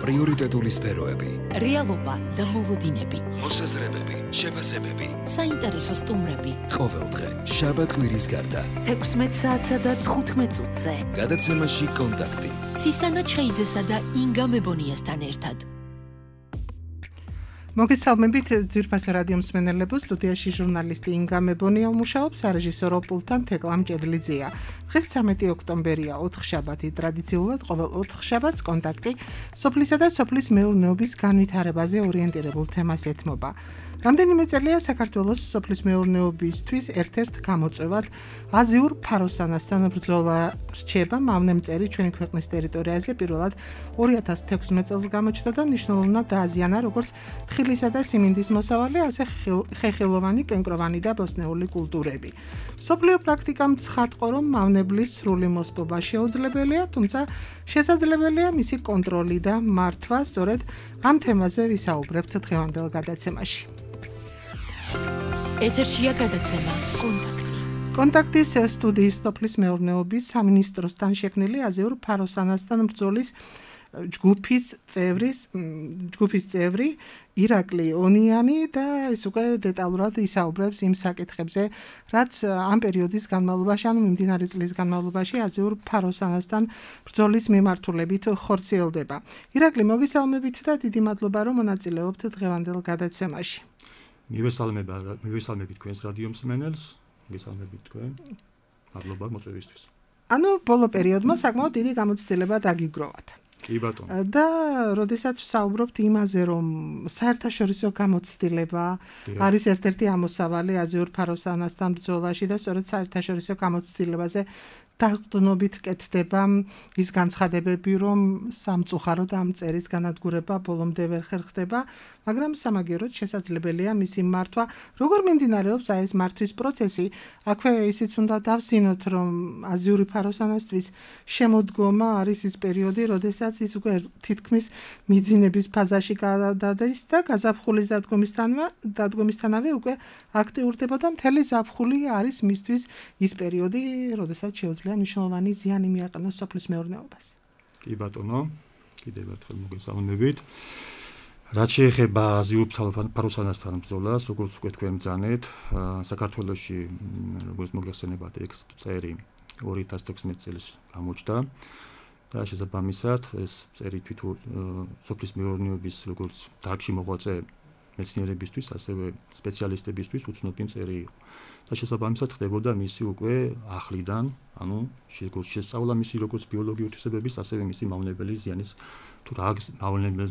პრიორიტეტული სფეროები, რეალობა და მოლოდინები, მოსაზრებები, შეფასებები, საინტერესო სტუმრები. ყოველდღე, შაბათ-კვირის გარდა, 16 საათსა და 15 წუთზე. გადაცემაში კონტაქტი. ცისანა ჩხეიძესა და ინგა მებონიასთან ერთად. მოგესალმებით ძვირფასო რადიო მსმენელებო, სტუდიაში ჟურნალისტი ინგა მებონია მუშაობს, სარეჟისორო პულტთან თეკლა მჭედლიძეა. დღეს 13 ოქტომბერია, ოთხშაბათი, ტრადიციულად ყოველ ოთხშაბათს კონტაქტი სოფლისა და სოფლის მეურნეობის განვითარებაზე ორიენტირებულ თემას ეთმობა. რამდენიმე წელია საქართველოს სოფლის მეურნეობისთვის ერთ-ერთ გამოწვევად აზიურ ფაროსანასთან ბრძოლა რჩება. მავნემწერი ჩვენი ქვეყნის ტერიტორიაზე პირველად 2016 წელს გამოჩნდა და მნიშვნელოვნად დააზიანა როგორც თხილისა და სიმინდის მოსავალი, ასე ხეხილოვანი, კენკროვანი და ბოსტნეული კულტურები. მსოფლიო პრაქტიკამ ცხადყო, რომ მავნებლის სრული მოსპობა შეუძლებელია, თუმცა შესაძლებელია მისი კონტროლი და მართვა. სწორედ ამ თემაზე ვისაუბრებთ დღევანდელ გადაცემაში. ეთერშია გადაცემა კონტაქტი. კონტაქტის სტუდიის სოფლის მეურნეობის სამინისტროსთან შექმნილი აზიურ ფაროსანასთან ბრძოლის ჯგუფის წევრი ირაკლი ონიანი და ის უკვე დეტალურად ისაუბრებს იმ საკითხებზე, რაც ამ პერიოდის განმავლობაში, ანუ მიმდინარე წლის განმავლობაში აზიურ ფაროსანასთან ბრძოლის მიმართულებით ხორციელდება. ირაკლი, მოგესალმებით და დიდი მადლობა, რომ მონაწილეობთ დღევანდელ გადაცემაში. მივესალმებით თქვენს რადიო მსმენელს, მოგესალმებით თქვენ. მადლობა მოწვევისთვის. ანუ ბოლო პერიოდმა საკმაოდ დიდი გამოცდილება დაგიგროვათ. კი ბატონო. და როდესაც ვსაუბრობთ იმაზე, რომ საერთაშორისო გამოცდილება არის ერთ-ერთი ამოსავალი აზიურ ფაროსანასთან ბრძოლაში და სწორედ საერთაშორისო გამოცდილებაზე დაყრდნობით კეთდება ის განცხადებები, რომ სამწუხაროდ ამ წერის განადგურება ბოლომდე ვერ ხერხდება, მაგრამ სამაგიეროდ შესაძლებელია მისი მართვა. როგორ მიმდინარეობს ეს მართვის პროცესი? აქვე ისიც უნდა დავსინოთ, რომ აზიური ფაროსანასთვის შემოდგომა არის ის პერიოდი, როდესაც ის უკვე თითქმის მიძინების ფაზაში გადადის და გაზაფხულის დადგომისთანავე უკვე აქტიურდება და მთელი ზაფხული არის მისთვის ის პერიოდი, როდესაც შეუძლია მნიშვნელოვანი ზიანი მიაყენოს სოფლის მეურნეობას. კი ბატონო, კიდევ ერთხელ მოგესალმებით. რაც შეეხება აზიურ ფაროსანასთან ბრძოლას, როგორც უკვე თქვენ ბრძანეთ, საქართველოში როგორც მოგეხსენებათ, ეს წერი 2016 წელს გამოჩნდა და შესაბამისად ეს წერი თვითონ სოფლის მეურნეობის როგორც დარგში მოღვაწე მეცნიერებისთვის, ასევე სპეციალისტებისთვის უცნობი წერი იყო. და შესაბამისად ხდებოდა მისი უკვე ახლიდან, ანუ შესწავლა მისი როგორც ბიოლოგიური თვისებების, ასევე მისი მავნებელი ზიანის თუ რა მავნებელ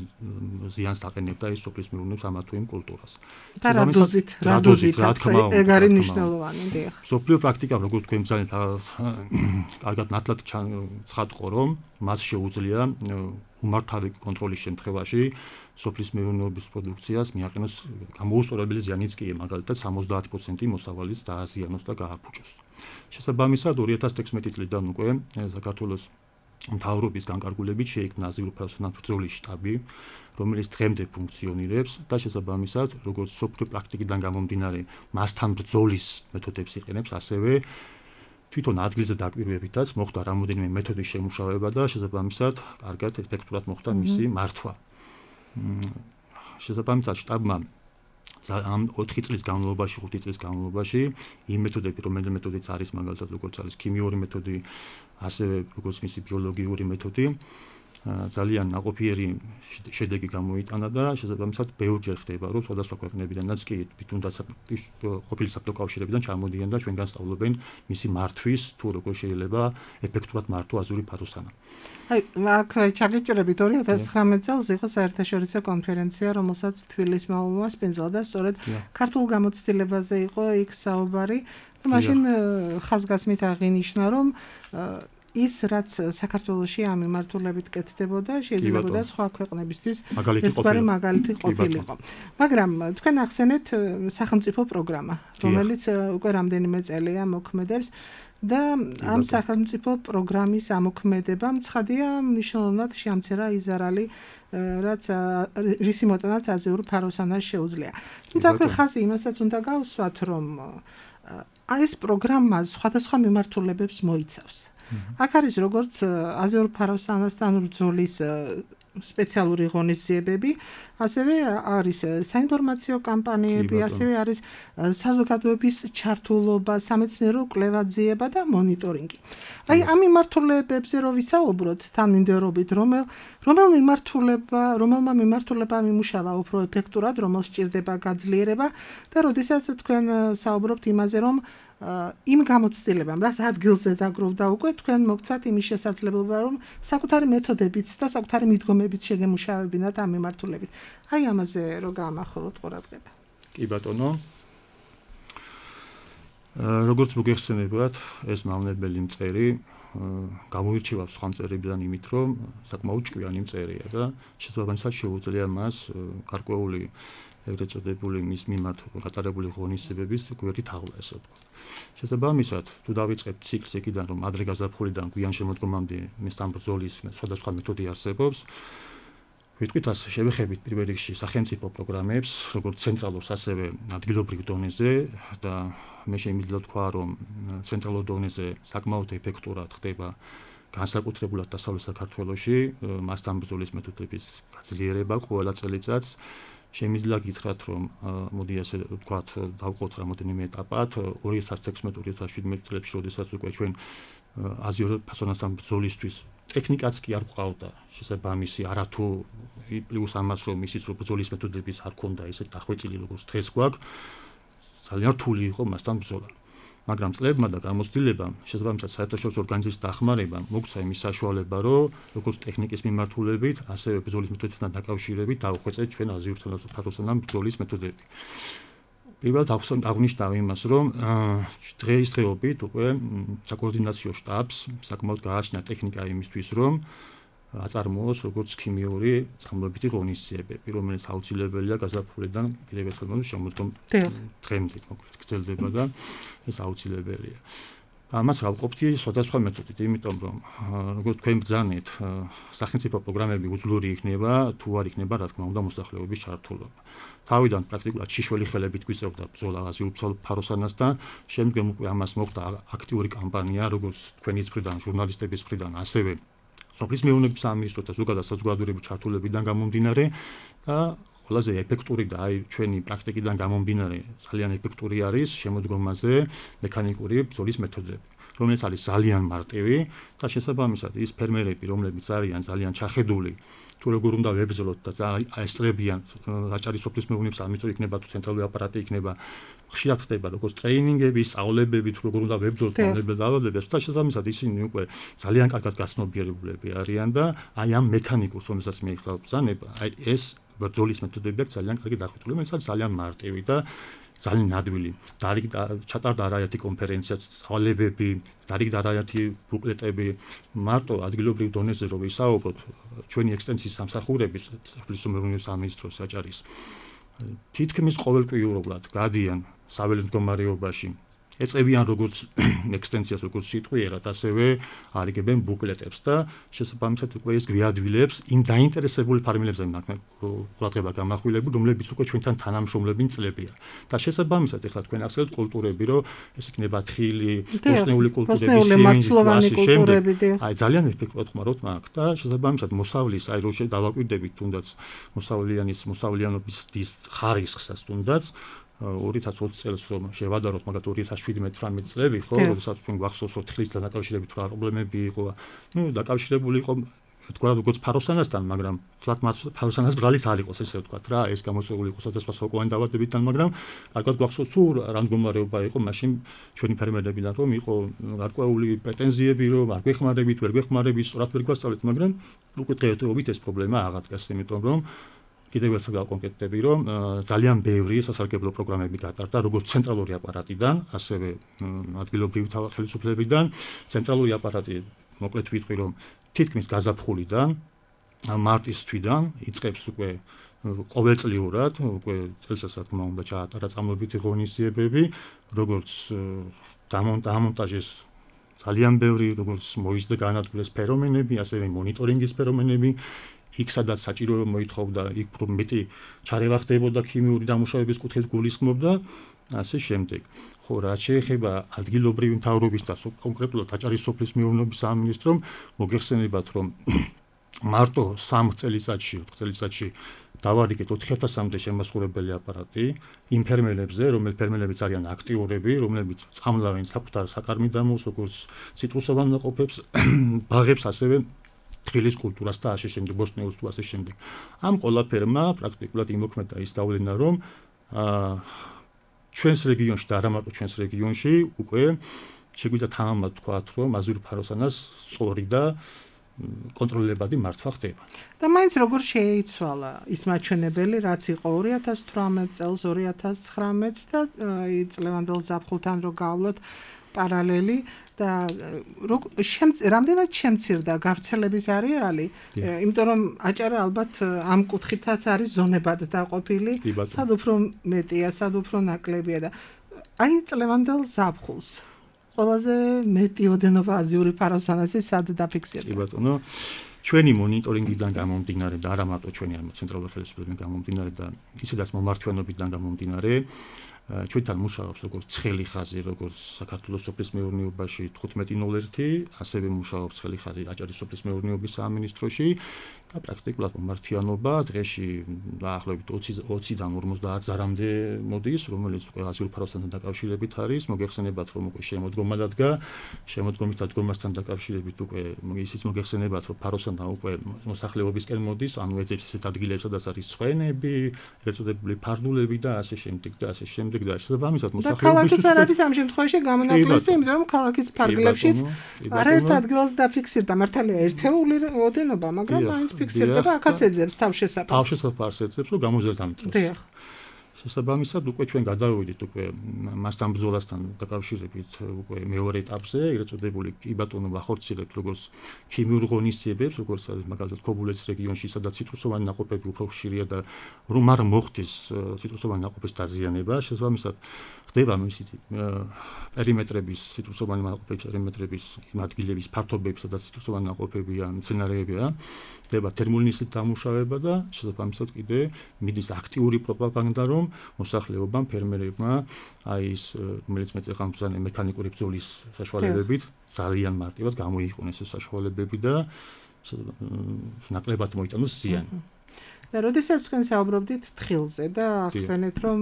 ზიანს დაყენებდა ის სოფლის მეურნეობს ამა თუ იმ კულტურას. და რა დოზით, ეგ არის მნიშვნელოვანი, დიახ. მსოფლიო პრაქტიკა, როგორც თქვენ ბრძანეთ, კარგად ნათლად ცხადყო, რომ მას შეუძლია უმართავი კონტროლის შემთხვევაში სოფლის მეურნეობის პროდუქციას მიაყენოს გამოუსწორებელი ზიანიც კი, მაგალითად 70% მოსავალის დააზიანოს და გააფუჭოს. შესაბამისად 2016 წლიდან უკვე საქართველოს მთავრობის განკარგულებით შეიქმნა აზიურ ფაროსანასთან ბრძოლის შტაბი, რომელიც დღემდე ფუნქციონირებს და შესაბამისად როგორც სოფლიო პრაქტიკიდან გამომდინარე მასთან ბრძოლის მეთოდებს იყენებს, ასევე თვითონ ადგილზე დაკვირვებითაც მოხდა რამოდენიმე მეთოდის შემუშავება და შესაბამისად კარგად ეფექტურად მოხდა მისი მართვა. შესაბამისად შტაბმა ამ 4 წლის განმავლობაში, 5 წლის განმავლობაში იმ მეთოდები, რომელიც მეთოდიც არის მაგალითად როგორც არის ქიმიური მეთოდი, ასევე როგორც მისი ბიოლოგიური მეთოდი, ძალიან ნაყოფიერი შედეგი გამოიტანა და შესაბამისად ბევრჯერ ხდება, რომ სხვადასხვა ქვეყნებიდანაც კი თუნდაც ყოფილი საბჭოთა კავშირებიდან ჩამოდიან და ჩვენგან სწავლობენ მისი მართვის თუ როგორ შეიძლება ეფექტურად მართვა აზიური ფაროსანა. აქ ჩაგეჭირებით 2019 წელს იყო საერთაშორისო კონფერენცია, რომელსაც თბილისის მოსპენძლა და სწორედ ქართულ გამოცდილებაზე იყო იქ საუბარი. მაშინ ხაზგასმით აღინიშნა, რომ ის რაც საქართველოში ამ მიმართულებით კეთდებოდა, შეიძლებოდა სხვა ქვეყნებისთვის ერთგვარი მაგალითი ყოფილიყო. მაგრამ თქვენ ახსენეთ სახელმწიფო პროგრამა, რომელიც უკვე რამდენიმე წელია მოქმედებს და ამ სახელმწიფო პროგრამის ამოქმედებამ ცხადია მნიშვნელოვნად შეამცირა იზარალი, რაც რისი მოტანაც აზიურ ფაროსანას შეუძლია. თუმცა ხაზი იმასაც უნდა გავსვათ, რომ ეს პროგრამა სხვადასხვა მიმართულებებს მოიცავს. აქ არის როგორც აზიურ ფაროსანასთან ბრძოლის სპეციალური ღონისძიებები, ასევე არის საინფორმაციო კამპანიები, ასევე არის საზოგადოების ჩართულობა, სამეცნიერო კვლევაძიება და მონიტორინგი. აი ამ მიმართულებებზე რო ვისაუბროთ თანმიმდევრობით, რომელმა მიმართულებამ იმუშავა უფრო ეფექტურად, რომელს სჭირდება გაძლიერება და როდესაც თქვენ საუბრობთ იმაზე, რომ იმ გამოცდილებამ, რაც ადგილზე დაგროვდა უკვე, თქვენ მოგცათ იმის შესაძლებლობა, რომ საკუთარი მეთოდებით და საკუთარი მიდგომებით შეგემუშავებინათ ამ მიმართულებით. აი ამაზე რო გაამახვილოთ ყურადღება. კი ბატონო. როგორც მოგეხსენებათ, ეს მავნებელი მწერი გამოირჩევა სხვა მწერებიდან იმით, რომ საკმაოდ ჭკვიანი მწერია და შესაბამისად შეუძლია მას გარკვეული ეგრეთ წოდებული მის მიმართ გატარებული ღონისძიებების გვერდით აღლა, ესე ვთქვათ. შესაბამისად, თუ დავიწყებთ ციკლს იქიდან, რომ ადრე გაზაფხულიდან გვიან შემოდგომამდე მისთან ბრძოლის სხვადასხვა მეთოდი არსებობს, ვიტყვით ასე, შევეხებით პირველ რიგში სახელმწიფო პროგრამებს, როგორც ცენტრალურს, ასევე ადგილობრივ დონეზე და მე შემიძლია ვთქვა, რომ ცენტრალურ დონეზე საკმაოდ ეფექტურად ხდება განსაკუთრებულად დასავლეთ საქართველოში მასთან ბრძოლის მეთოდების გაძლიერება ყველა წელიწადს. შემიძლია გითხრათ, რომ მოდი ასე ვთქვათ, დავყოთ რამოდენიმე ეტაპად 2016-2017 წლებში, როდესაც უკვე ჩვენ აზიურ ფასონასთან ბრძოლისთვის ტექნიკაც კი არ გვყავდა შესაბამისი, არათუ პლუს ამას, რომ ისიც რომ ბრძოლის მეთოდების არ ქონდა ესე დახვეწილი როგორც დღეს გვაქვს, ძალიან რთული იყო მასთან ბრძოლა. მაგრამ წლებმა და გამოცდილებამ, შესაბამისად საერთაშორისო ორგანიზაციის დახმარებამ მოგცა იმის საშუალება, რომ როგორც ტექნიკის მიმართულებით, ასევე ბრძოლის მეთოდებთან დაკავშირებით დავხვეწეთ ჩვენ აზიურ ფასონასთან ბრძოლის მეთოდები. პირველად აღნიშნავ იმას, რომ დღეისდღეობით უკვე საკოორდინაციო შტაბს საკმაოდ გააჩნია ტექნიკა იმისთვის, რომ აწარმოოს როგორც ქიმიური წყამლებითი ღონისძიებები, რომელიც აუცილებელია გაზაფხულიდან კიდევ ერთხელ შემოდგომ დღემდე გრძელდება და ეს აუცილებელია. ამას გავყოფთი სხვადასხვა მეთოდით, იმიტომ რომ როგორც თქვენ ბრძანეთ, სახელმწიფო პროგრამები უძლური იქნება, თუ არ იქნება, რა თქმა უნდა, მოსახლეობის ჩართულობა. თავიდან პრაქტიკულად შიშველი ხელებით გვიწევდა ბრძოლა აზიურ ფაროსანასთან, შემდგომ უკვე ამას მოხდა აქტიური კამპანია, როგორც თქვენი მხრიდან, ჟურნალისტების მხრიდან, ასევე სოფლის მეურნეობის სამინისტროს და ზოგადად საზოგადოებრივი ჩართულებიდან გამომდინარე და ყველაზე ეფექტური და აი ჩვენი პრაქტიკიდან გამომდინარე ძალიან ეფექტური არის შემოდგომაზე მექანიკური ბრძოლის მეთოდები, რომელიც არის ძალიან მარტივი და შესაბამისად ის ფერმერები, რომლებიც არიან ძალიან ჩახედული, თუ როგორ უნდა ვებრძოლოთ და ესწრებიან აჭარის სოფლის მეურნეობის სამინისტრო იქნება თუ ცენტრალური აპარატი იქნება, ხშირად ხდება როგორც ტრეინინგები, სწავლებები, თუ როგორ უნდა ვებრძოლოთ მავნებელ დაავადებებს და შესაბამისად ისინი უკვე ძალიან კარგად გაცნობიერებულები არიან და აი ამ მექანიკურს, რომელსაც მე ხელ ბრძანება, აი ეს ბრძოლის მეთოდები აქვს ძალიან კარგი დახვეწილი, რომელიც არის ძალიან მარტივი და ძალიან ნადვილი. ჩატარდა არაერთი კონფერენცია, სწავლებები, დარიგდა არაერთი ბუკლეტები, მარტო ადგილობრივ დონეზე რო ვისაუბროთ, ჩვენი ექსტენსიის სამსახურების სოფლის მეურნეობის სამინისტროს აჭარის თითქმის ყოველკვირეულად გადიან საველე მდგომარეობაში, ეწევიან როგორც ექსტენსიას, როგორც სიტყვიერად, ასევე არიგებენ ბუკლეტებს და შესაბამისად უკვე ეს გვიადვილებს იმ დაინტერესებული ფარმერებზე ყურადღება გამახვილებული, რომლებიც უკვე ჩვენთან თანამშრომლობენ წლებია. და შესაბამისად ეხლა თქვენ ახსენებთ კულტურები, რომ ეს იქნება თხილი, ბოსნეული კულტურები, სიმინდი, აი ძალიან ეფექტურად ხმარობთ მაგ და შესაბამისად მოსავლის, აი რო დავაკვირდებით თუნდაც მოსავლიანობის ხარისხსაც თუნდაც 2020 წელს რომ შევადაროთ, მაგათ 2017-18 წლები, ხო, როდესაც ჩვენ გვახსოვს, რომ თხილისთან დაკავშირებით რა პრობლემები იყო, დაკავშირებული იყო თქვა როგორც ფაროსანასთან, მაგრამ თლათ ფაროსანას ბრალიც არ იყოს, ესე ვთქვათ რა, ეს გამოწვეული იყო სხვადასხვა სოკოვანი დაავადებებთან, მაგრამ კარგად გვახსოვს, თუ რა მდგომარეობა იყო მაშინ ჩვენი ფერმერებიდან, რომ იყო გარკვეული პრეტენზიები, რომ არ გვეხმარებით, ვერ გვეხმარებით, სწორად ვერ გვასწავლეთ, მაგრამ უკვე დღეობით ეს პრობლემა აღარ დგას, იმიტომ რომ კიდევ ერთხელ გავკონკრეტდები, რომ ძალიან ბევრი სასარგებლო პროგრამები გატარდა, როგორც ცენტრალური აპარატიდან, ასევე ადგილობრივი ხელისუფლებიდან. ცენტრალური აპარატი, მოკლედ ვიტყვი, რომ თითქმის გაზაფხულიდან, მარტის თვიდან იწყებს უკვე ყოველწლიურად, უკვე წელსაც რა თქმა უნდა ჩაატარა წამლებითი ღონისძიებები, როგორც დამონტაჟეს ძალიან ბევრი, როგორც მოიზრდა განადგურეს ფერომენები, ასევე მონიტორინგის ფერომენები. იქ სადაც საჭირო მოითხოვდა, იქ მეტი ჩარევა ხდებოდა ქიმიური დამუშავების კუთხით გულისხმობდა, ასე შემდეგ. ხო, რაც შეეხება ადგილობრივი მთავრობის და კონკრეტულად აჭარის სოფლის მეურნეობის სამინისტრომ, მოგეხსენებათ, რომ მარტო 3 წელიწადში, 4 წელიწადში დავარიგეთ 4000-მდე შემოსხურებელი აპარატი იმ ფერმერებზე, რომელებიც არიან აქტიურები, რომლებიც წამლავენ საკუთარ საკარმიდამოს, როგორც ციტრუსოვან ნაყოფებს, ბაღებს, ასევე თხილის კულტურას და ასე შემდეგ, ბოსტნეულს თუ ასე შემდეგ. ამ ყველაფერმა პრაქტიკულად იმოქმედა ის დავლენა, რომ ჩვენს რეგიონში და არა მარტო ჩვენს რეგიონში უკვე შეგვიძლია თამამად ვთქვათ, რომ აზიური ფაროსანას სწორი და კონტროლებადი მართვა ხდება. და მაინც როგორ შეიცვალა ის მაჩვენებელი, რაც იყო 2018 წელს, 2019 და წლევანდელ ზაფხულთან რო გავვლოთ პარალელი და რამდენად შემცირდა გავრცელების არეალი, იმიტომ რომ აჭარა ალბათ ამ კუთხითაც არის ზონებად დაყოფილი, სად უფრო მეტია, სად უფრო ნაკლებია და აი წლევანდელ ზაფხულს ყველაზე მეტი ოდენობა აზიური ფაროსანასი სად დაფიქსირდა? კი ბატონო, ჩვენი მონიტორინგიდან გამომდინარე და არა მარტო ჩვენი არამედ ცენტრალური ხელისუფლებიდან გამომდინარე და ისედაც მომართვიანობიდან გამომდინარე, ჩვენთან მუშაობს როგორც ცხელი ხაზი, როგორც საქართველოს სოფლის მეურნეობაში 1501, ასევე მუშაობს ცხელი ხაზი აჭარის სოფლის მეურნეობის სამინისტროში და პრაქტიკულად მომართვიანობა დღეში დაახლოებით 20-დან 50 ზარამდე მოდის, რომელიც უკვე აზიური ფაროსანთან დაკავშირებით არის. მოგეხსენებათ, რომ უკვე შემოდგომა დადგა, შემოდგომის დადგომასთან დაკავშირებით უკვე ისიც მოგეხსენებათ, რომ ფაროსანა უკვე მოსახლეობისკენ მოდის, ანუ ეძებს ისეთ ადგილებს, სადაც არის ცხენები, ეწოდებული ფარდულები და ასე შემდეგ და ასე შემდეგ. და შესაბამისად მოსახლეობის და ქალაქიც არ არის ამ შემთხვევაში გამონაკლისი, იმიტომ რომ ქალაქის ფარგლებშიც არაერთ ადგილას დაფიქსირდა მართალია ერთეული ოდენობა, მაგრამ მაინც ფიქსირდება, აქაც ეძებს თავშესაფარს. თავშესაფარს ეძებს, რომ გამოძერთ ამ დროს. დიახ. შესაბამისად უკვე ჩვენ გადავიდით უკვე მასთან ბრძოლასთან დაკავშირებით უკვე მეორე ეტაპზე, ეგრეთ წოდებული კი ბატონო ვახორციელებთ როგორც ქიმიურ ღონისძიებებს, როგორც მაგალითად ქობულეთის რეგიონში, სადაც ციტრუსოვანი ნაყოფები უფრო ხშირია და რომ არ მოხდეს ციტრუსოვანი ნაყოფის დაზიანება, შესაბამისად ხდება მისი პერიმეტრების, ციტრუსოვანი ნაყოფების პერიმეტრების ადგილების ფართობები, სადაც ციტრუსოვანი ნაყოფებია, მცენარეებია, ხდება თერმული ნისლით დამუშავება და შესაბამისად კიდე მიდის აქტიური პროპაგანდა, რომ მოსახლეობამ, ფერმერებმა აი ის რომელიც მეწეყამბრძანე მექანიკური ბრძოლის საშუალებებით ძალიან მარტივად გამოიყენეს ეს საშუალებები და ნაკლებად მოიტანოს ზიანი. და როდესაც თქვენ საუბრობდით თხილზე და ახსენეთ, რომ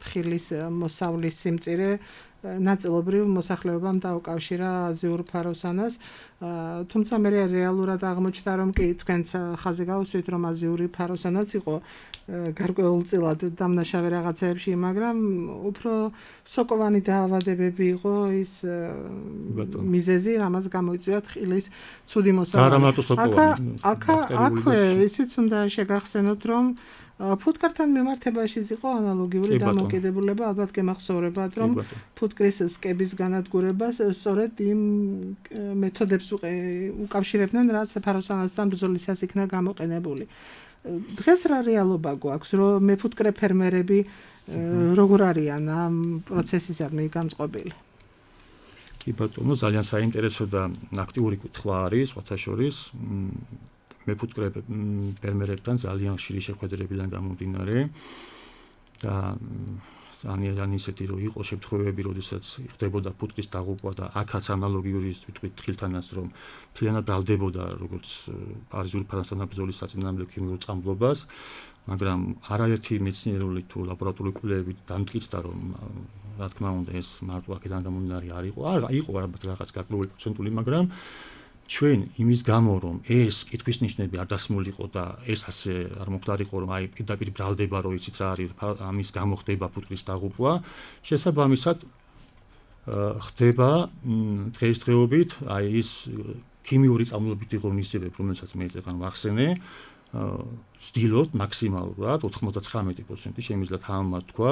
თხილის მოსავლის სიმწირე ნაწილობრივ მოსახლეობამ დაუკავშირა აზიურ ფაროსანას, თუმცა მე რეალურად აღმოჩნდა, რომ კი თქვენც ხაზი გავუსვით, რომ აზიური ფაროსანაც იყო გარკვეულწილად დამნაშავე რაღაცეებში, მაგრამ უფრო სოკოვანი დაავადებები იყო ის მიზეზი, რამაც გამოიწვია თხილის ცუდი მოსავალი. აქვე ისიც უნდა შეგახსენოთ, რომ ფუტკართან მიმართებაშიც იყო ანალოგიური დამოკიდებულება, ალბათ გემახსოვრებათ, რომ ფუტკრის სკების განადგურებას სწორედ იმ მეთოდებს უკავშირებდნენ, რაც ფაროსანასთან ბრძოლისას იქნა გამოყენებული. დღეს რა რეალობა გვაქვს, რომ მეფუტკრე ფერმერები როგორ არიან ამ პროცესისადმი განწყობილი? კი ბატონო, ძალიან საინტერესო და აქტიური კითხვა არის, სხვათა შორის მეფუტკრე ფერმერებთან ძალიან ხშირი შეხვედრებიდან გამომდინარე და ძალიან ისეთი რომ იყო შემთხვევები, როდესაც ხდებოდა ფუტკრის დაღუპვა და აქაც ანალოგიური ვიტყვით თხილთანაც, რომ მთლიანად ბრალდებოდა როგორც აზიური ფაროსანა ბრძოლის საწინააღმდეგო ქიმიურ წამლობას, მაგრამ არაერთი მეცნიერული თუ ლაბორატორიული კვლევები დამტკიცდა, რომ რა თქმა უნდა ეს მარტო აქედან გამომდინარე არ იყო, იყო რაღაც გარკვეული პროცენტული, მაგრამ ჩვენ იმის გამო რომ ეს კითხვის ნიშნები არ დასმულიყო და ეს ასე არ მოხდარიყო, რომ აი პირდაპირ ბრალდება, რომ იცით რა არის ამის გამო ხდება ფუტკრის დაღუპვა, შესაბამისად ხდება დღესდღეობით აი ის ქიმიური წამლობითი ღონისძიებები, რომელსაც მე წეგან ვახსენე, ვცდილობთ მაქსიმალურად 99% შემიძლია თამამად თქვა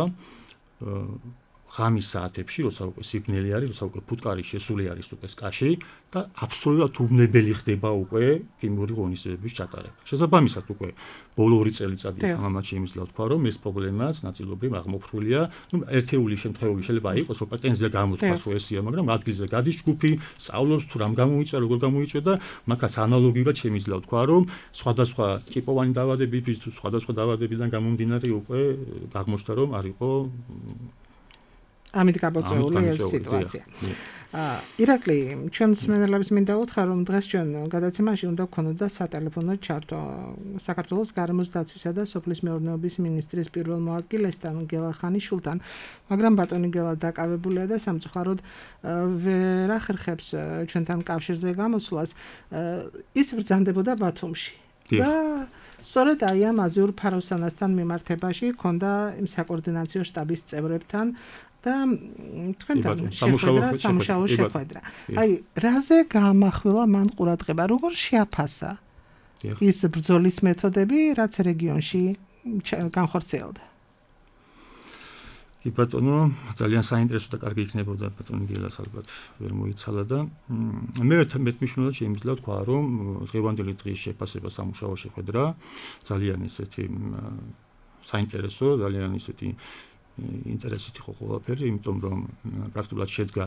ღამის საათებში, როცა უკვე სიბნელი არის, როცა უკვე ფუტკარი შესული არის უკვე სკაში და აბსოლუტურად უბნებელი ხდება უკვე ქიმიური ღონისძიებების ჩატარება. შესაბამისად უკვე ბოლო 2 წელიწადი თამამად შემიძლია თქვა, რომ ეს პრობლემაც ნაწილობრივ აღმოფხვრილია. ერთეული შემთხვევები შეიძლება იყოს, რომ პატენზია გამოთქვას, რომ ესია, მაგრამ ადგილზე გადის ჯგუფი, სწავლობს თუ რამ გამოიწვია, როგორ გამოიწვია და მაგას ანალოგიურად შემიძლია თქვა, რომ სხვადასხვა ტიპოვანი დაავადებების თუ სხვადასხვა დაავადებიდან გამომდინარე უკვე აღმოჩნდა, რომ არ იყო ამით გაბოწეული ეს სიტუაცია. ირაკლი, ჩვენ მსმენელებს მინდა უთხრა, რომ დღეს ჩვენ გადაცემაში უნდა გქონოდა სატელეფონო ჩართვა საქართველოს გარემოს დაცვისა და სოფლის მეურნეობის მინისტრის პირველ მოადგილესთან გელა ხანიშვილთან, მაგრამ ბატონი გელა დაკავებულია და სამწუხაროდ ვერ ახერხებს ჩვენთან კავშირზე გამოსვლას. ის ბრძანდებოდა ბათუმში. და სწორედ აი ამ აზიურ ფაროსანასთან მიმართებაში ჰქონდა იმ საკოორდინაციო შტაბის წევრებთან და თქვენთან სამუშაო შეხვედრა. აი, რაზე გაამახვილა მან ყურადღება, როგორ შეაფასა ის ბრძოლის მეთოდები, რაც რეგიონში განხორციელდა? კი ბატონო, ძალიან საინტერესო და კარგი იქნებოდა ბატონი გელას ალბათ ვერ მოიცალა და მე მეტმნიშვნელად შემიძლია თქვა, რომ დღევანდელი დღის შეფასება სამუშაო შეხვედრა ძალიან ისეთი საინტერესო, ძალიან ისეთი ინტერესით იყო ყველაფერი, იმიტომ რომ პრაქტიკულად შედგა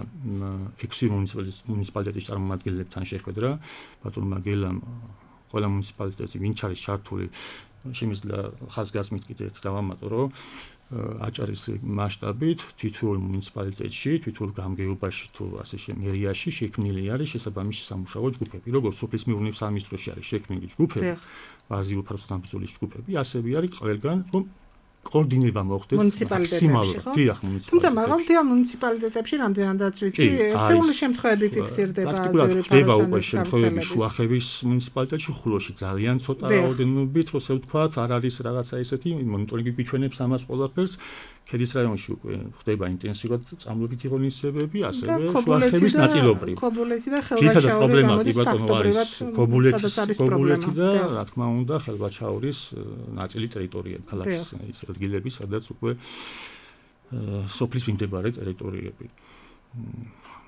6 მუნიციპალიტეტის წარმომადგენლებთან შეხვედრა, ბატონმა გელამ ყველა მუნიციპალიტეტი ვინც არის ჩართული შემიძლია ხაზგასმით კიდე ერთ დავამატო, რომ აჭარის მასშტაბით თითოეულ მუნიციპალიტეტში, თითოეულ გამგეობაში თუ ასე მერიაში შექმნილი არის შესაბამისი სამუშაო ჯგუფები, როგორც სოფლის მეურნეობის სამინისტროში არის შექმნილი ჯგუფები, აზიურ ფაროსთან ბრძოლის ჯგუფები, ასევე არის ყველგან რომ კოორდინირება მოხდეს მაქსიმალურად. დიახ, მუნიციპალიტეტებში. თუმცა მაღალმთიან მუნიციპალიტეტებში რამდენადაც ვიცი, ერთეული შემთხვევები ფიქსირდება აზიური ფაროსანის უკვე შემთხვევები შუახევის მუნიციპალიტეტში, ხულოში ძალიან ცოტა რაოდენობით, როცა ვთქვათ, არ არის რაღაცა ესეთი მონიტორინგი გვიჩვენებს ამას ყველაფერს. ქედის რაიონში უკვე ხდება ინტენსიურად წამლებითი ღონისძიებები, ასევე შუახევის ნაწილობრივ. ქობულეთი და ხელვაჩაური გამოდის ფაქტობრივად ქობულეთი და რა თქმა უნდა ხელვაჩაურის ნაწილი ტერიტორიები, ქალაქის ის ადგილები, სადაც უკვე სოფლის მიმდებარე ტერიტორიები.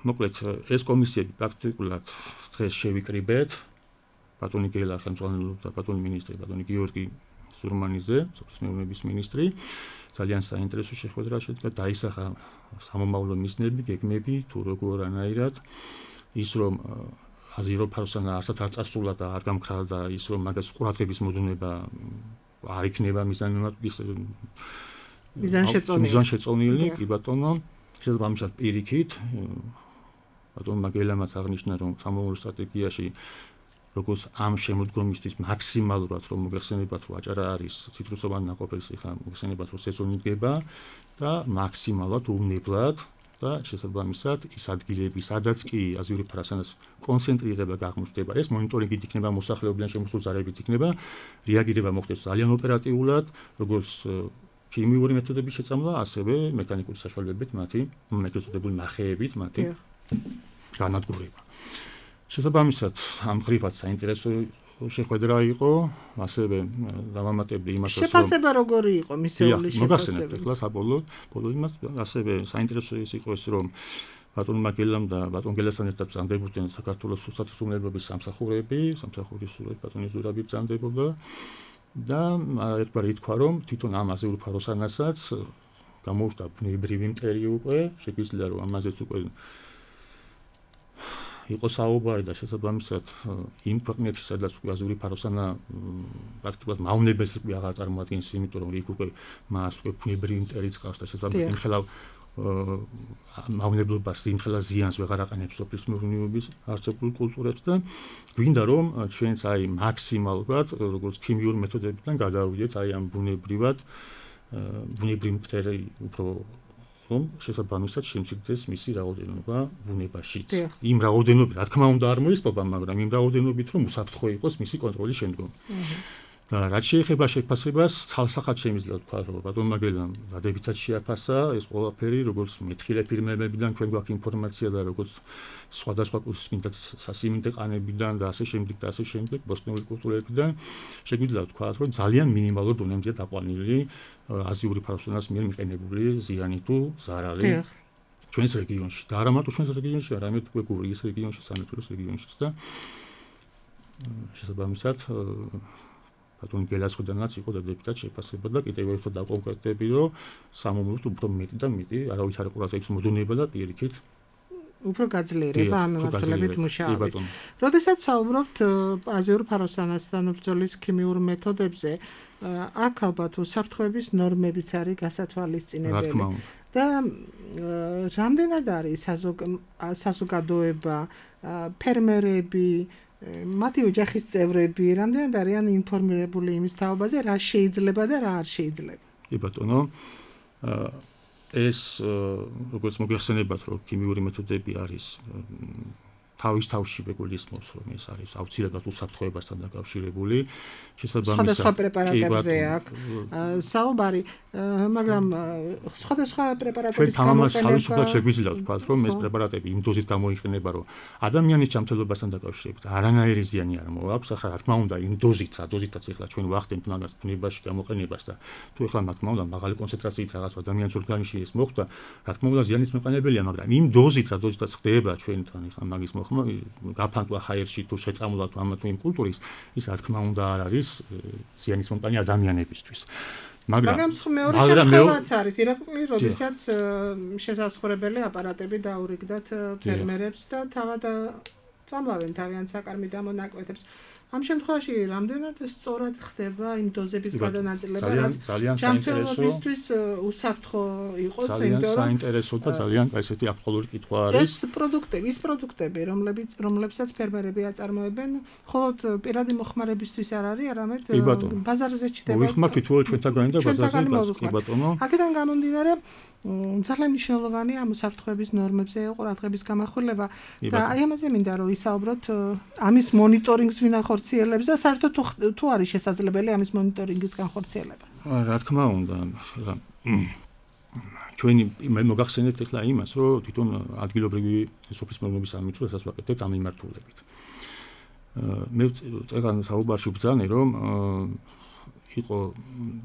მოკლედ ეს კომისიები პრაქტიკულად დღეს შევიკრიბეთ ბატონი გელა ხელმძღვანელობდა ბატონი მინისტრი ბატონი გიორგი ზურმანიძე, სოფლის მეურნეობის მინისტრი. ძალიან საინტერესო შეხვედრა შედგა, დაისახა სამომავლო მიზნები, გეგმები, თუ როგორანაირად ის რომ აზიურ ფაროსანა არსად არ წასულა და არ გამქრალა და ის რომ მაგას ყურადღების მოდუნება არ იქნება მიზანშეწონილი, კი ბატონო, შესაბამისად პირიქით ბატონმა გელამაც აღნიშნა რომ სამომავლო სტრატეგიაში როგორც ამ შემოდგომისთვის მაქსიმალურად რომ მოგეხსენებათ რომ აჭარა არის ციტრუსოვანი ნაყოფის ხა მოგეხსენებათ რომ სეზონი დგება და მაქსიმალურად უნებლად და შესაბამისად ის ადგილები სადაც კი აზიური ფაროსანას კონცენტრირება გაღმრთდება ეს მონიტორინგით იქნება მოსახლეობიდან შემოსულზარებით იქნება რეაგირება მოხდეს ძალიან ოპერატიულად როგორც ქიმიური მეთოდების შეწამლა ასევე მექანიკური საშუალებებით მათი მეთოდებული ნახეებით მათი განადგურება შესაბამისად ამ ხრივად საინტერესო შეხვედრა იყო, ასევე დავამატებდი იმას, რომ შეფასება როგორი იყო მისეული შეფასება. მოგახსენებთ ახლა საბოლოოდ, იმას ასევე საინტერესო ის იყო ეს, რომ ბატონმა გელამ და ბატონ გელასთან ერთად ბრძანდებოდნენ საქართველოს სუსტატისუნებების სამსახურები, სამსახურის სურვილი ბატონი ზურაბი ბრძანდებოდა და ერთგვარი ითქვა, რომ თვითონ ამ აზიურ ფაროსანასაც გამოუჩნდა ბუნებრივი მტერი უკვე, შეგვიძლია რომ ამაზეც უკვე იყო საუბარი და შესაბამისად იმ ქვეყნებში სადაც უკვე აზიური ფაროსანა პრაქტიკულად მავნებელს უკვე აღარ წარმოადგენს, იმიტომ რომ იქ უკვე მას უკვე ბუნებრივი მტერიც ყავს და შესაბამისად იმხელა მავნებლობას იმხელა ზიანს ვეღარ აყენებს სოფლის მეურნეობის არსებულ კულტურებს და გვინდა რომ ჩვენც აი მაქსიმალურად როგორც ქიმიური მეთოდებიდან გადავიდეთ აი ამ ბუნებრივი მტერი უფრო რომ შესაბამისად შემცირდეს მისი რაოდენობა ბუნებაშიც. იმ რაოდენობით, რა თქმა უნდა, არ მოისპობა, მაგრამ იმ რაოდენობით, რომ უსაფრთხო იყოს მისი კონტროლის შემდგომ. და რაც შეეხება შეფასებას, ცალსახად შემიძლია თქვა, რომ ბატონმა გელამ დადებითად შეაფასა ეს ყველაფერი, როგორც მეთხილე ფირმებებიდან ჩვენ გვაქვს ინფორმაცია და როგორც სხვადასხვა კურსმინდა სასიმინდე ყანებიდან და ასე შემდეგ, ბოსტნეული კულტურებიდან შეგვიძლია თქვა, რომ ძალიან მინიმალურ დონემდეა დაყვანილი აზიური ფაროსანას მიერ მიყენებული ზიანი თუ ზარალი ჩვენს რეგიონში. და არა მარტო ჩვენს რეგიონში, არამედ უკვე გურიის რეგიონში, სამეგრელოს რეგიონშიც და შესაბამისად ბატონ გელას ხოდანაც იყო დადებითად შეფასება და კიდევ ერთხელ დავკონკრეტები, რომ სამომავლოდ უფრო მეტი და მეტი არავის არ ყურადღების მოდუნება და პირიქით უფრო გაძლიერება ამ მიმართულებით მუშაობის. როდესაც საუბრობთ აზიურ ფაროსანასთან ბრძოლის ქიმიურ მეთოდებზე, აქ ალბათ უსაფრთხოების ნორმებიც არის გასათვალისწინებელი. და რამდენად არის საზოგადოება, ფერმერები, მათი ოჯახის წევრები, რამდენად არიან ინფორმირებული იმის თაობაზე, რა შეიძლება და რა არ შეიძლება? კი ბატონო, ეს როგორც მოგეხსენებათ, რომ ქიმიური მეთოდები არის თავის თავში მეგულისმოს, რომ ეს არის აუცილებლად უსაფრთხოებასთან დაკავშირებული, შესაბამისად სხვადასხვა პრეპარატებზე აქვს საუბარი, მაგრამ სხვადასხვა პრეპარატების გამოყენება თავისუფლად შეგვიძლია ვთქვათ, რომ ეს პრეპარატები იმ დოზით გამოიყენება, რომ ადამიანის ჯანმრთელობასთან დაკავშირებით არანაირი ზიანი არ მოაქვს, ახლა რა თქმა უნდა იმ დოზით, რა დოზითაც ახლა ჩვენ ვახდენთ მაგას ბუნებაში გამოყენებას და თუ ახლა რა თქმა უნდა მაღალი კონცენტრაციით რაღაც ადამიანის ორგანიზმში ეს მოხდა, რა თქმა უნდა ზიანის მოყენებელია, მაგრამ იმ დოზით, რა დოზითაც ხდება ჩვენთან ახლა მაგის გაფანტვა ჰაერში თუ შეწამლა თუ ამა თუ იმ კულტურის ის რა თქმა უნდა არ არის ზიანის მომტანი ადამიანებისთვის. მაგრამ მეორე შემთხვევაც არის, ირაკლი, როდესაც შესაძლებელი აპარატები დაურიგდათ ფერმერებს და თავად წამლავენ თავიანთ საკარმი დამონაკვეთებს. ამ შემთხვევაში რამდენად სწორად ხდება იმ დოზების გადანაწილება, რაც ჯანმრთელობისთვის უსაფრთხო იყოს, იმიტომ რომ საინტერესო და ძალიან ესეთი აქტუალური კითხვა არის. ის პროდუქტები, რომლებსაც ფერმერები აწარმოებენ, მხოლოდ პირადი მოხმარებისთვის არ არის, არამედ ბაზარზე ჩდება. მოიხმართ თუო ჩვენთაგანი და ბაზარზე გას, კი ბატონო. აქედან გამომდინარე, ძალიან მნიშვნელოვანი ამ უსაფრთხოების ნორმებზე ყურადღების გამახვილება და აი ამაზე მინდა რომ ვისაუბროთ ამის მონიტორინგს ვინ ახორციელებს და საერთოდ თუ არის შესაძლებელი ამის მონიტორინგის განხორციელება. რა თქმა უნდა, ჩვენი მოგახსენებთ ახლა იმას, რომ თვითონ ადგილობრივი სოფლის მეურნეობის სამინისტროსაც ვაკეთებთ ამ მიმართულებით. მე წეგან საუბარში ვბრძანე, რომ იყო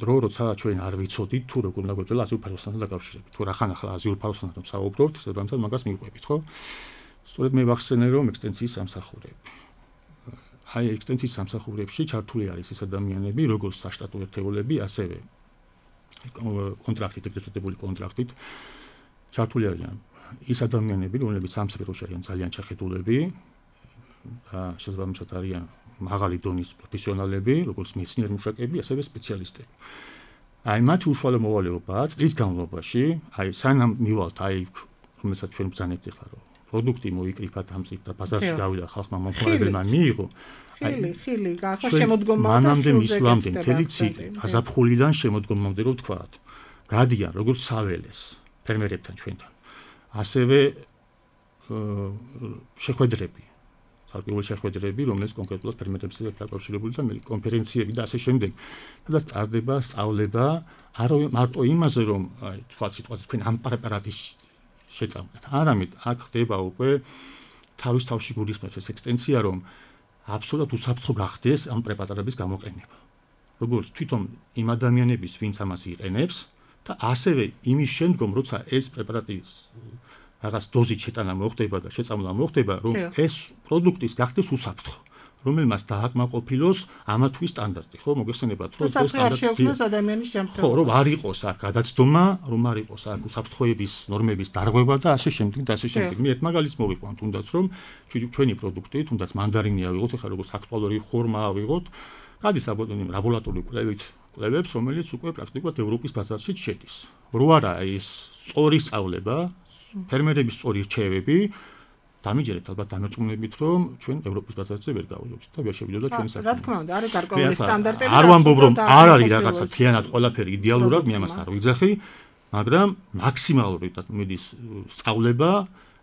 დრო, როცა ჩვენ არ ვიცოდით თუ როგორ უნდა გვეწელა აზიურ ფაროსანთან დაკავშირებით. თუ რახან ახლა აზიურ ფაროსანთან საუბრობთ, შესაბამისად მაგას მიყვებით, ხო? სწორედ მე ვახსენე, რომ ექსტენსიის სამსახურები. აი ექსტენსიის სამსახურებში ჩართული არის ის ადამიანები, როგორც საშტატო ერთეულები, ასევე კონტრაქტით, ეგრეთ წოდებული კონტრაქტით ჩართული არიან ის ადამიანები, რომლებიც ამ სფეროში არიან ძალიან ჩახედულები და შესაბამისად არიან მაღალი დონის პროფესიონალები, როგორც მეცნიერი მუშაკები, ასევე სპეციალისტები. აი მათი უშუალო მოვალეობაა წლის განმავლობაში, აი სანამ მივალთ აი რომელსაც ჩვენ ბრძანებთ ახლა რომ პროდუქტი მოიკრიფათ ამ წიგნ და ბაზარში გავიდა ხალხმა მომხმარებელმა მიიღო. ხილი, ახლა შემოდგომა და მანამდე მისვლამდე მთელი ციკლი, გაზაფხულიდან შემოდგომამდე რო ვთქვათ, გადიან როგორც საველეს ფერმერებთან ჩვენთან. ასევე შეხვედრები ალკოჰოლის შეხვედრები, რომელიც კონკრეტულად ფერმერებთან დაკავშირებული და კონფერენციები და ასე შემდეგ. სადაც წარდება სწავლება არა მარტო იმაზე, რომ აი თქვა სიტყვაზე თქვენ ამ პრეპარატის შეწამლეთ. არამედ აქ ხდება უკვე თავის თავში გულისხმობს ეს ექსტენსია, რომ აბსოლუტურად უსაფრთხო გახდეს ამ პრეპარატების გამოყენება. როგორც თვითონ იმ ადამიანების, ვინც ამას იყენებს და ასევე იმის შემდგომ, როცა ეს პრეპარატი რაღაც დოზით შეტანა მოხდება და შეწამლა მოხდება, რომ ეს პროდუქტის გახდეს უსაფრთხო, რომელმაც დააკმაყოფილოს ამა თუ ის სტანდარტი, ხო, მოგეხსენებათ, რომ ეს სტანდარტი ადამიანის ჯანმრთელობა. ხო, რომ არ იყოს აქ გადაცდომა, რომ არ იყოს აქ უსაფრთხოების ნორმების დარღვევა და ასე შემდეგ და ასე შემდეგ. მე ერთ მაგალითს მოვიყვანთ, თუნდაც რომ ჩვენი პროდუქტი, თუნდაც მანდარინი ავიღოთ, ახლა როგორც აქტუალური ხორმა ავიღოთ, გადის ლაბორატორიული კვლევებს, რომელიც უკვე პრაქტიკულად ევროპის ბაზარში შედის. რო არა ის სწორი სწავლება, ფერმერების სწორი რჩევები, დამიჯერებთ ალბათ დამერწმუნებით, რომ ჩვენ ევროპის ბაზარზე ვერ გავიდოთ და ვერ შევიდოთ ჩვენი საქმე. რა თქმა უნდა, არის გარკვეული სტანდარტები. არ ვამბობ, რომ არ არის რაღაცა მთლიანად ყველაფერი იდეალურად, მე ამას არ ვიძახი, მაგრამ მაქსიმალური მიდის სწავლება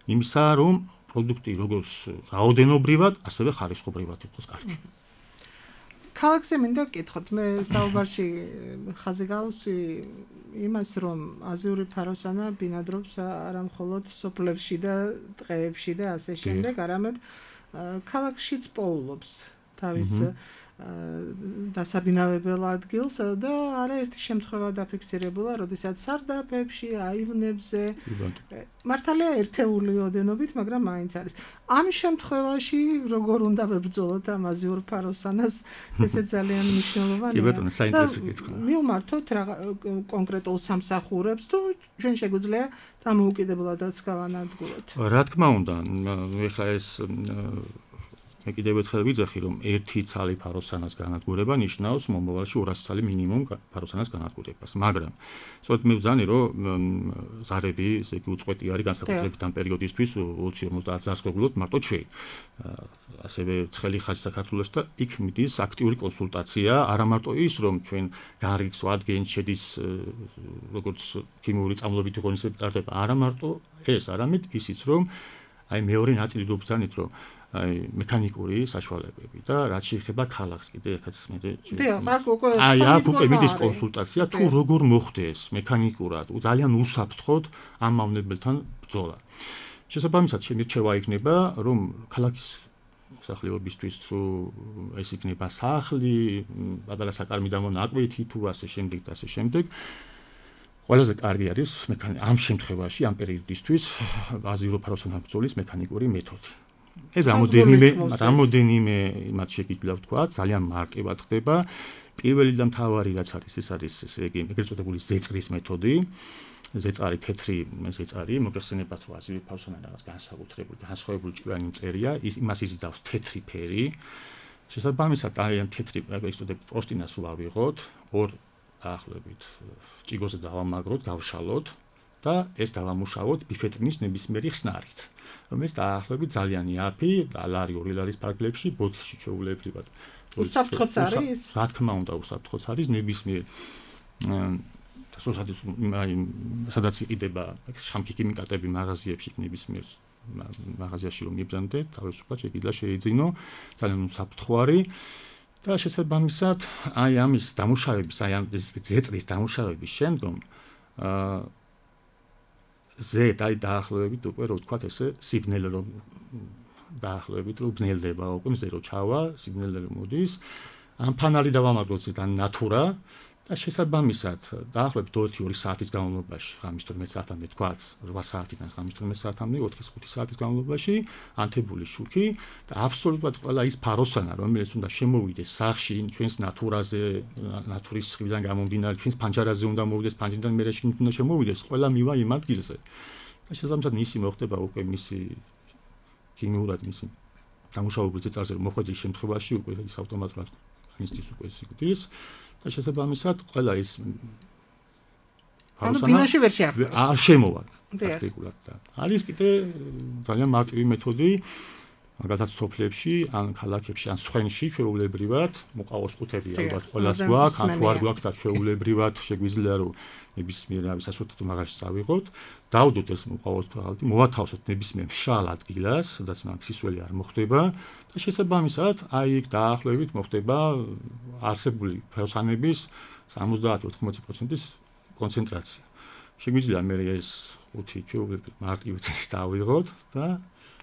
იმისა, რომ პროდუქტი როგორც რაოდენობრივად, ასევე ხარისხობრივად იყოს კარგი. ქალაქზე მინდა გკითხოთ, მე საუბარში ხაზი გავუსვი იმას, რომ აზიური ფაროსანა ბინადრობს არა მხოლოდ სოფლებში და ტყეებში და ასე შემდეგ, არამედ ქალაქშიც პოულობს თავის დასაბინავებელ ადგილს და არაერთი შემთხვევა დაფიქსირებულა, როდესაც სარდაფებში, აივნებზე, მართალია ერთეული ოდენობით, მაგრამ მაინც არის. ამ შემთხვევაში როგორ უნდა ვებრძოლოთ ამ აზიურ ფაროსანას, ესე ძალიან მნიშვნელოვანია. კი ბატონო, საინტერესო კითხვა. მივმართოთ კონკრეტულ სამსახურებს თუ ჩვენ შეგვიძლია დამოუკიდებლადაც გავანადგუროთ. რა თქმა უნდა, ეხლა ეს მე კიდევ ერთხელ ვიძახი, რომ ერთი ცალი ფაროსანას განადგურება ნიშნავს მომავალში 200 ცალი მინიმუმ ფაროსანას განადგურებას. მაგრამ სწორედ მე ვძანი, რომ ზარები, ესე იგი უწყვეტი არის განსაკუთრებით ამ პერიოდისთვის 20-50 წელს გვეუბნოთ მარტო ჩვენ. ასევე ცხელი ხაზი საქართველოს და იქ მიდის აქტიური კონსულტაცია, არა მარტო ის, რომ ჩვენ გარიგს ვადგენთ, შედის როგორც ქიმიური წამლობითი ღონისძიებები ტარდება, არა მარტო ეს, არამედ ისიც, რომ აი მეორე ნაწილი ვბრძანეთ, რომ აი მექანიკური საშუალებები და რაც შეეხება ქალაქს კიდე ერთად აქ უკვე მიდის კონსულტაცია თუ როგორ მოხდეს მექანიკურად ძალიან უსაფრთხოდ ამ მავნებელთან ბრძოლა. შესაბამისად შემირჩევა იქნება რომ ქალაქის მსახლიობისთვის თუ ეს იქნება სახლი, პატარა საკარმი დამონაკვეთი თუ ასე შემდეგ და ასე შემდეგ ყველაზე კარგი არის ამ შემთხვევაში ამ პერიოდისთვის აზირო ფაროსანა ბრძოლის მექანიკური მეთოდი. ეს რამოდენიმე იმათ შეგიძლია ვთქვა, ძალიან მარტივად ხდება. პირველი და მთავარი რაც არის, ეს არის ესე იგი ეგრეთ წოდებული ზეწრის მეთოდი. ზეწარი თეთრი ზეწარი, მოგეხსენებათ რომ აზირო ფაროსანა რაღაც განსაკუთრებული განსხვავებული ჭკვიანი მწერია, იმას იზიდავს თეთრი ფერი. შესაბამისად აი ამ თეთრი ეგრეთ წოდებული პროსტინას ვავიღოთ, ორ დაახლოებით ჭიგოზე დავამაგროთ, გავშალოთ და ეს დავამუშავოთ ბიფეტრინის ნებისმიერი ხსნარით. რომელიც დაახლოებით ძალიან იაფი, ლარი ლარის ფარგლებში, ბოთლში ჩვეულებრივად. უსაფრთხოც არის? რა თქმა უნდა, უსაფრთხოც არის ნებისმიერ სადაც იყიდება შხამქიკიმიკატები მაღაზიებში ნებისმიერ მაღაზიაში რომ იბრძანდეთ, თავისუფლად შეგიძლია შეიძინო, ძალიან უსაფრთხო არის. და შესაბამისად, აი ამის დამუშავების, აი ამ ზეწრის დამუშავების შემდგომ აი დაახლოებით უკვე რო ვთქვათ ესე სიბნელე რომ დაახლოებით რომ ბნელდება უკვე მზე რო ჩავა, სიბნელე რომ მოდის, ამ ფანალი დავამაგროთ ზედან ნატურა და შესაბამისად დაახლოებით 2 საათის განმავლობაში, ღამის 12 საათამდე თქვათ, 8 საათიდან ღამის 12 საათამდე, 4-5 საათის განმავლობაში ანთებული შუქი და აბსოლუტურად ყველა ის ფაროსანა, რომელიც უნდა შემოვიდეს სახლში, ჩვენს ნატურაზე, ნატურის სხივიდან გამომდინარე, ჩვენს პანჯარაზე უნდა მოვიდეს, პანჯრიდან მერე შიგნით უნდა შემოვიდეს, ყველა მივა იმ ადგილზე. და შესაბამისად მისი მოხდება უკვე მისი ქიმიურად მისი დამუშავებულ ზეწარზე მოხვედრის შემთხვევაში უკვე ის ავტომატურად განიცდის უკვე სიკვდილს. და შესაბამისად ყველა ის ბინაში ვერ შეახდოს. არ შემოვა პრაქტიკულად და არის კიდე ძალიან მარტივი მეთოდი მაგალითად სოფლებში ან ქალაქებში ან სხვენში ჩვეულებრივად მოყავოს ყუთები ალბათ ყველას გვაქვს ან თუ არ გვაქვს და ჩვეულებრივად შეგვიძლია რომ ნებისმიერ სასურთო მაღაზიაში წავიღოთ დავდოთ ეს მოყავოს თვალთი მოვათავსოთ ნებისმიერ მშრალ ადგილას სადაც მაგ სისველი არ მოხდება და შესაბამისად აი იქ დაახლოებით მოხდება არსებული ფეროსანების 70-80%-ის კონცენტრაცია შეგვიძლია მე ეს ყუთი ჩვეულებრივ მარტივად დავიღოთ და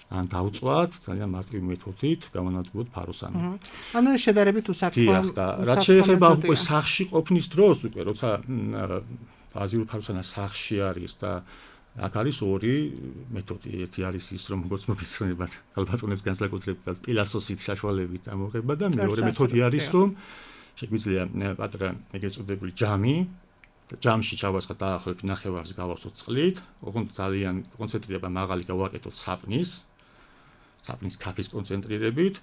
ან დავწვათ ძალიან მარტივი მეთოდით გამონადგუროთ ფაროსანი. ანუ ეს შედარებით უსაფრთხოა. რაც შეეხება უკვე სახლში ყოფნის დროს უკვე როცა ბაზიური ფაროსანა სახლში არის და აქ არის ორი მეთოდი. ერთი არის ის რომ როგორც მოგესწრებათ ალბათონებს განსაკუთრებით პილასოსით საშუალებით ამოღება და მეორე მეთოდი არის რომ შეგვიძლია პატრა ეგრეთ წოდებული ჯამი ჯამში ჩავასხა დაახლოებით ნახევარს გავახსოვთ წყლით, ოღონდ ძალიან კონცენტრირება მაღალი გავაკეთოთ საპნის ქაფის კონცენტრირებით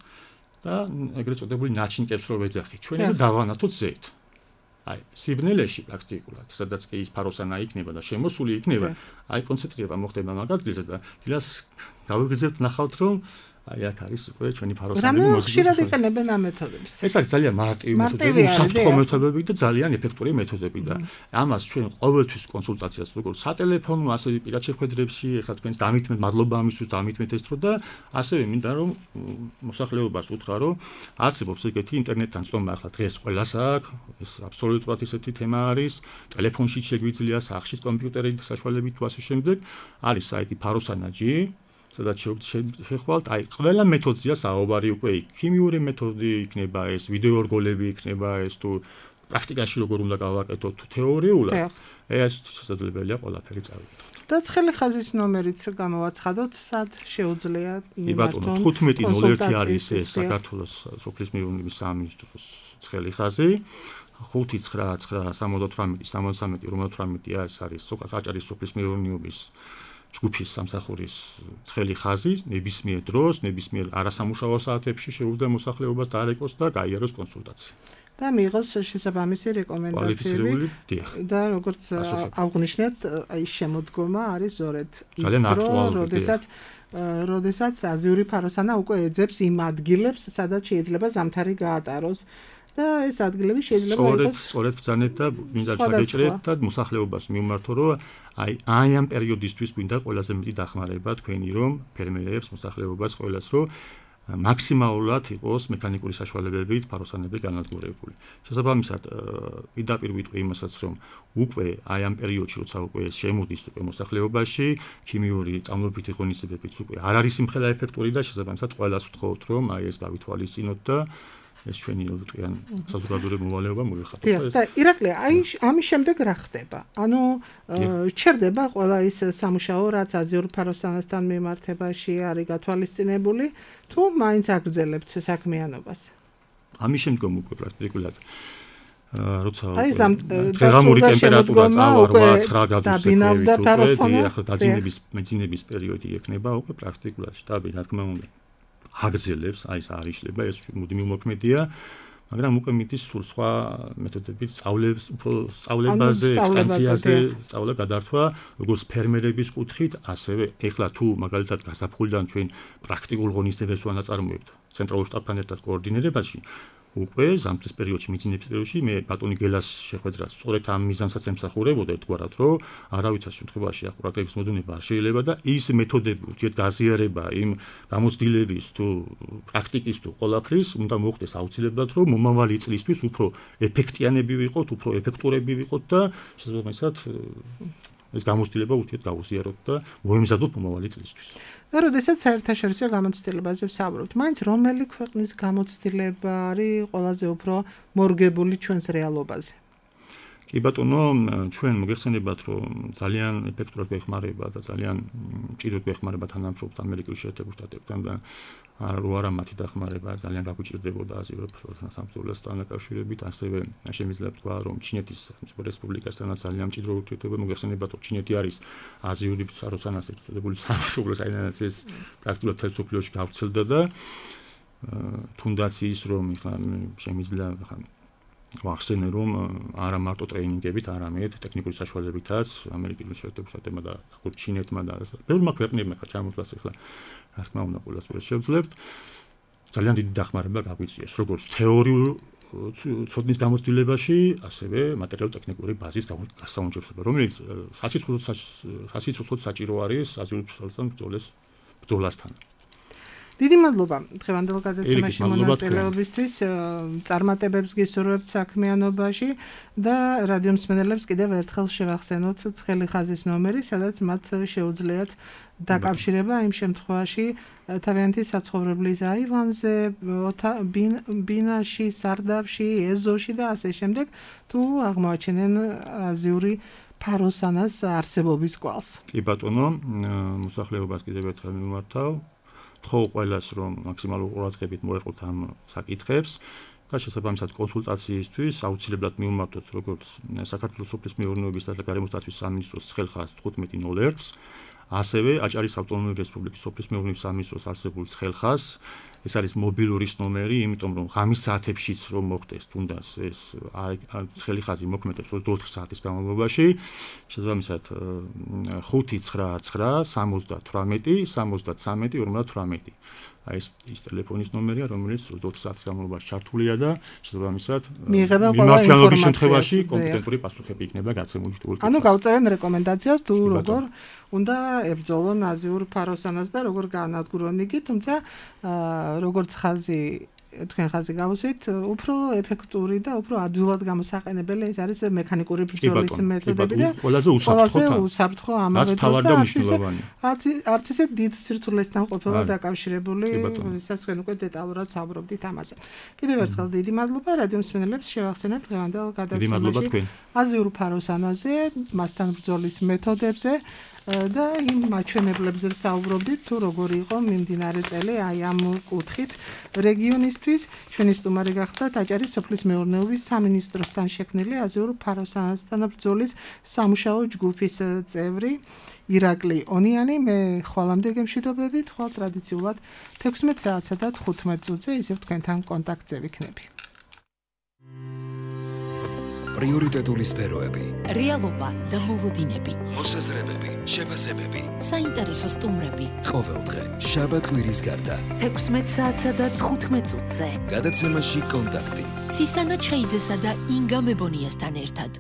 და ეგრეთ წოდებული ნაჩინკებს რო ვეძახით. ჩვენ ეს დავანათოთ ზეთ. აი, სიბნელეში პრაქტიკულად, სადაც კი ის ფაროსანა იქნება და შემოსული იქნება, აი კონცენტრირება მოხდება მაგ ადგილზე და დილას გავიგრძელთ ნახავთ რომ აი აქ არის უკვე ჩვენი ფაროსანები მოსული. ხშირად იყენებენ ამ მეთოდებს. ეს არის ძალიან მარტივი მეთოდები, უსაფრთხო მეთოდები და ძალიან ეფექტური მეთოდები და ამას ჩვენ ყოველთვის კონსულტაციას როგორც სატელეფონო, ასევე პირად შეხვედრებში, ეხლა თქვენს დამითმეთ, მადლობა ამისთვის, დამითმეთ ეს დრო და ასევე მინდა რომ მოსახლეობას უთხრა რომ არსებობს ეგეთი ინტერნეტთან წომა, ახლა დღეს ყველას აქვს, ეს აბსოლუტურად ისეთი თემა არის, ტელეფონში შეგვიძლია, სახლში კომპიუტერით საშუალებით თუ ასე შემდეგ, არის საიტი ფაროსანა.gi სადაც შეხვალთ, აი ყველა მეთოდზეა საუბარი უკვე იქ. ქიმიური მეთოდი იქნება ეს, ვიდეო რგოლები იქნება ეს თუ პრაქტიკაში როგორ უნდა გავაკეთოთ თუ თეორიულად. ეს შესაძლებელია ყველაფერი წავიდეთ. და ცხელი ხაზის ნომერიც გამოვაცხადოთ, სად შეუძლია იმართონ. 1501 არის ეს საქართველოს სოფლის მეურნეობის სამინისტროს ცხელი ხაზი. 59968 73 58 ეს არის საჭარის სოფლის მეურნეობის ჯგუფის სამსახურის ცხელი ხაზი ნებისმიერ დროს, ნებისმიერ არასამუშაო საათებში შეუძლია მოსახლეობას დაარეკოს და გაიაროს კონსულტაცია. და მიიღოს შესაბამისი რეკომენდაციები და როგორც აღნიშნეთ, აი შემოდგომა არის ზორეთ ძალიან აქტუალური, როდესაც აზიური ფაროსანა უკვე ეძებს იმ ადგილებს, სადაც შეიძლება ზამთარი გაატაროს და ეს ადგილები შეიძლება იყოს სწორედ ბრძანეთ და მინდა ჩაგეჭრეთ და მოსახლეობას მიმართო, რომ აი ამ პერიოდისთვის გვინდა ყველაზე მეტი დახმარება თქვენი, რომ ფერმერებს, მოსახლეობას ყველას რომ მაქსიმალურად იყოს მექანიკური საშუალებებით ფაროსანები განადგურებული. შესაბამისად, პირდაპირ ვიტყვი იმასაც, რომ უკვე აი ამ პერიოდში, როცა უკვე ეს შემოდის უკვე მოსახლეობაში, ქიმიური წამლობითი ღონისძიებებით უკვე არ არის იმხელა ეფექტური და შესაბამისად ყველას ვთხოვთ, რომ აი ეს გავითვალისწინოთ და ეს ჩვენი უტყიან საზოგადოებრივი მოვალეობა მოიხატოთ. და ირაკლი, აი ამის შემდეგ რა ხდება? ანუ ჩერდება ყველა ის სამუშაო, რაც აზიურ ფაროსანასთან მიმართებაში არის გათვალისწინებული, თუ მაინც აგრძელებთ საქმიანობას? ამის შემდგომ უკვე პრაქტიკულად როცა დღეღამური ტემპერატურა წავარვა 9 გრადუსზე, ახლა დაძინების პერიოდი ექნება უკვე პრაქტიკულად შტაბი, რა თქმა უნდა. აგრძელებს, აი ეს არ იშლება, ეს მუდმივი მოქმედია, მაგრამ უკვე მიდის სულ სხვა მეთოდებით სწავლებაზე, ექსტენსიაზე, სწავლა გადართვა, როგორც ფერმერების კუთხით, ასევე ეხლა თუ მაგალითად გასაფხულიდან ჩვენ პრაქტიკულ ღონისძიებებს ვანაწარმოებთ ცენტრალურ შტაბთან ერთად კოორდინირებაში, უკვე ზამთრის პერიოდში, მიძინების პერიოდში მე ბატონი გელას შეხვედრას სწორედ ამ მიზანსაც ემსახურებოდა ერთგვარად, რომ არავითარ შემთხვევაში აყურატების მოდუნება არ შეიძლება და ის მეთოდები ურთიერთგაზიარება იმ გამოცდილების თუ პრაქტიკის თუ ყველაფრის უნდა მოხდეს აუცილებლად, რომ მომავალი წლისთვის უფრო ეფექტიანები ვიყოთ, უფრო ეფექტურები ვიყოთ და შესაბამისად ეს გამოცდილება ურთიერთგაუზიაროთ და მოემზადოთ მომავალი წლისთვის. და როდესაც საერთაშორისო გამოცდილებაზე ვსაუბრობთ, მაინც რომელი ქვეყნის გამოცდილება არის ყველაზე უფრო მორგებული ჩვენს რეალობაზე? კი ბატონო, ჩვენ მოგეხსენებათ, რომ ძალიან ეფექტურად გვეხმარება და ძალიან მჭიდროდ გვეხმარება თანამშრომლობთ ამერიკის შეერთებულ შტატებთან და რო არა მათი დახმარება ძალიან გაგვიჭირდებოდა აზიურ სამსახურესთან დაკავშირებით, ასევე შემიძლია ვთქვა, რომ ჩინეთის სახელმწიფო რესპუბლიკასთანაც ძალიან მჭიდრო ურთიერთობა მოგეხსენებათ, რომ ჩინეთი არის აზიური ფაროსანას ერთადერთი სამშობლო, საიდანაც ეს პრაქტიკულად მთელ მსოფლიოში გავრცელდა და თუნდაც ის, რომ შემიძლია ვახსენე, რომ არა მარტო ტრეინინგებით, არამედ ტექნიკური საშუალებითაც ამერიკის შეერთებულ შტატებმა და ჩინეთმა და ბევრმა ქვეყნებმა ჩამოთვლას ახლა რა თქმა უნდა ყველას შევძლებთ. ძალიან დიდი დახმარება გაგვიწიეს, როგორც თეორიულ ცოდნის გამოცდილებაში, ასევე მატერიალურ-ტექნიკური ბაზის გასაუმჯობესება, რომელიც სასიცოცხლოდ საჭირო არის აზიურ ფაროსანთან ბრძოლასთან. დიდი მადლობა დღევანდელ გადაცემაში მონაწილეობისთვის, წარმატებებს გისურვებთ საქმიანობაში და რადიო მსმენელებს კიდევ ერთხელ შევახსენოთ ცხელი ხაზის ნომერი, სადაც მათ შეუძლიათ დაკავშირება იმ შემთხვევაში თავიანთი საცხოვრებლის აივანზე, ბინაში, სარდაფში, ეზოში და ასე შემდეგ, თუ აღმოაჩენენ აზიური ფაროსანას არსებობის კვალს. კი ბატონო, მოსახლეობას კიდევ ერთხელ მიმართავ. თხოვ ყველას, რომ მაქსიმალურ ყურადღებით მოეყოთ ამ საკითხებს და შესაბამისად კონსულტაციისთვის აუცილებლად მივმართოთ როგორც საქართველოს სოფლის მეურნეობის და გარემოსდაცვის სამინისტროს ცხელხაზ 1501-ს, ასევე აჭარის ავტონომიური რესპუბლიკის სოფლის მეურნეობის სამინისტროს არსებულ ცხელხაზს. ეს არის მობილურის ნომერი, იმიტომ რომ ღამის საათებშიც რომ მოხდეს თუნდაც ეს ცხელი ხაზი მოქმედებს 24 საათის განმავლობაში. შესაბამისად 599 78 73 58. აი ეს ტელეფონის ნომერია, რომელიც 24 საათის განმავლობაში ჩართულია და შესაბამისად მიმართულების შემთხვევაში კომპეტენტური პასუხები იქნება გაცემული თუ ანუ გავწევენ რეკომენდაციას თუ როგორ უნდა ებრძოლონ აზიურ ფაროსანას და როგორ გაანადგურონ იგი, თუმცა როგორც თქვენ ხაზი გავუსვით, უფრო ეფექტური და უფრო ადვილად გამოსაყენებელი ეს არის მექანიკური ბრძოლის მეთოდები და ყველაზე უსაფრთხო ამავე დროს და არც ისე დიდ სირთულესთან ყოფილა დაკავშირებული, როდესაც თქვენ უკვე დეტალურად საუბრობდით ამაზე. კიდევ ერთხელ დიდი მადლობა რადიო მსმენელებს შევახსენებთ დღევანდელ გადაცემაში აზიურ ფაროსანაზე, მასთან ბრძოლის მეთოდებზე და იმ მაჩვენებლებზე ვსაუბრობდით, თუ როგორი იყო მიმდინარე წელი აი ამ კუთხით რეგიონისთვის. ჩვენი სტუმარი გახდა აჭარის სოფლის მეურნეობის სამინისტროსთან შექმნილი აზიურ ფაროსანასთანაბრძოლის სამუშაო ჯგუფის წევრი ირაკლი ონიანი. მე ხვალამდე გემშვიდობებით, ხვალ ტრადიციულად 16 საათსა და 15 წუთზე ისევ თქვენთან კონტაქტზე ვიქნები. პრიორიტეტული სფეროები, რეალობა და მოლოდინები, მოსაზრებები, შეფასებები, საინტერესო სტუმრები. ყოველდღე შაბათ კვირის გარდა 16 საათსა და 15 წუთზე. გადაცემაში კონტაქტი. ცისანა ჩხეიძესა და ინგა მებონიასთან ერთად.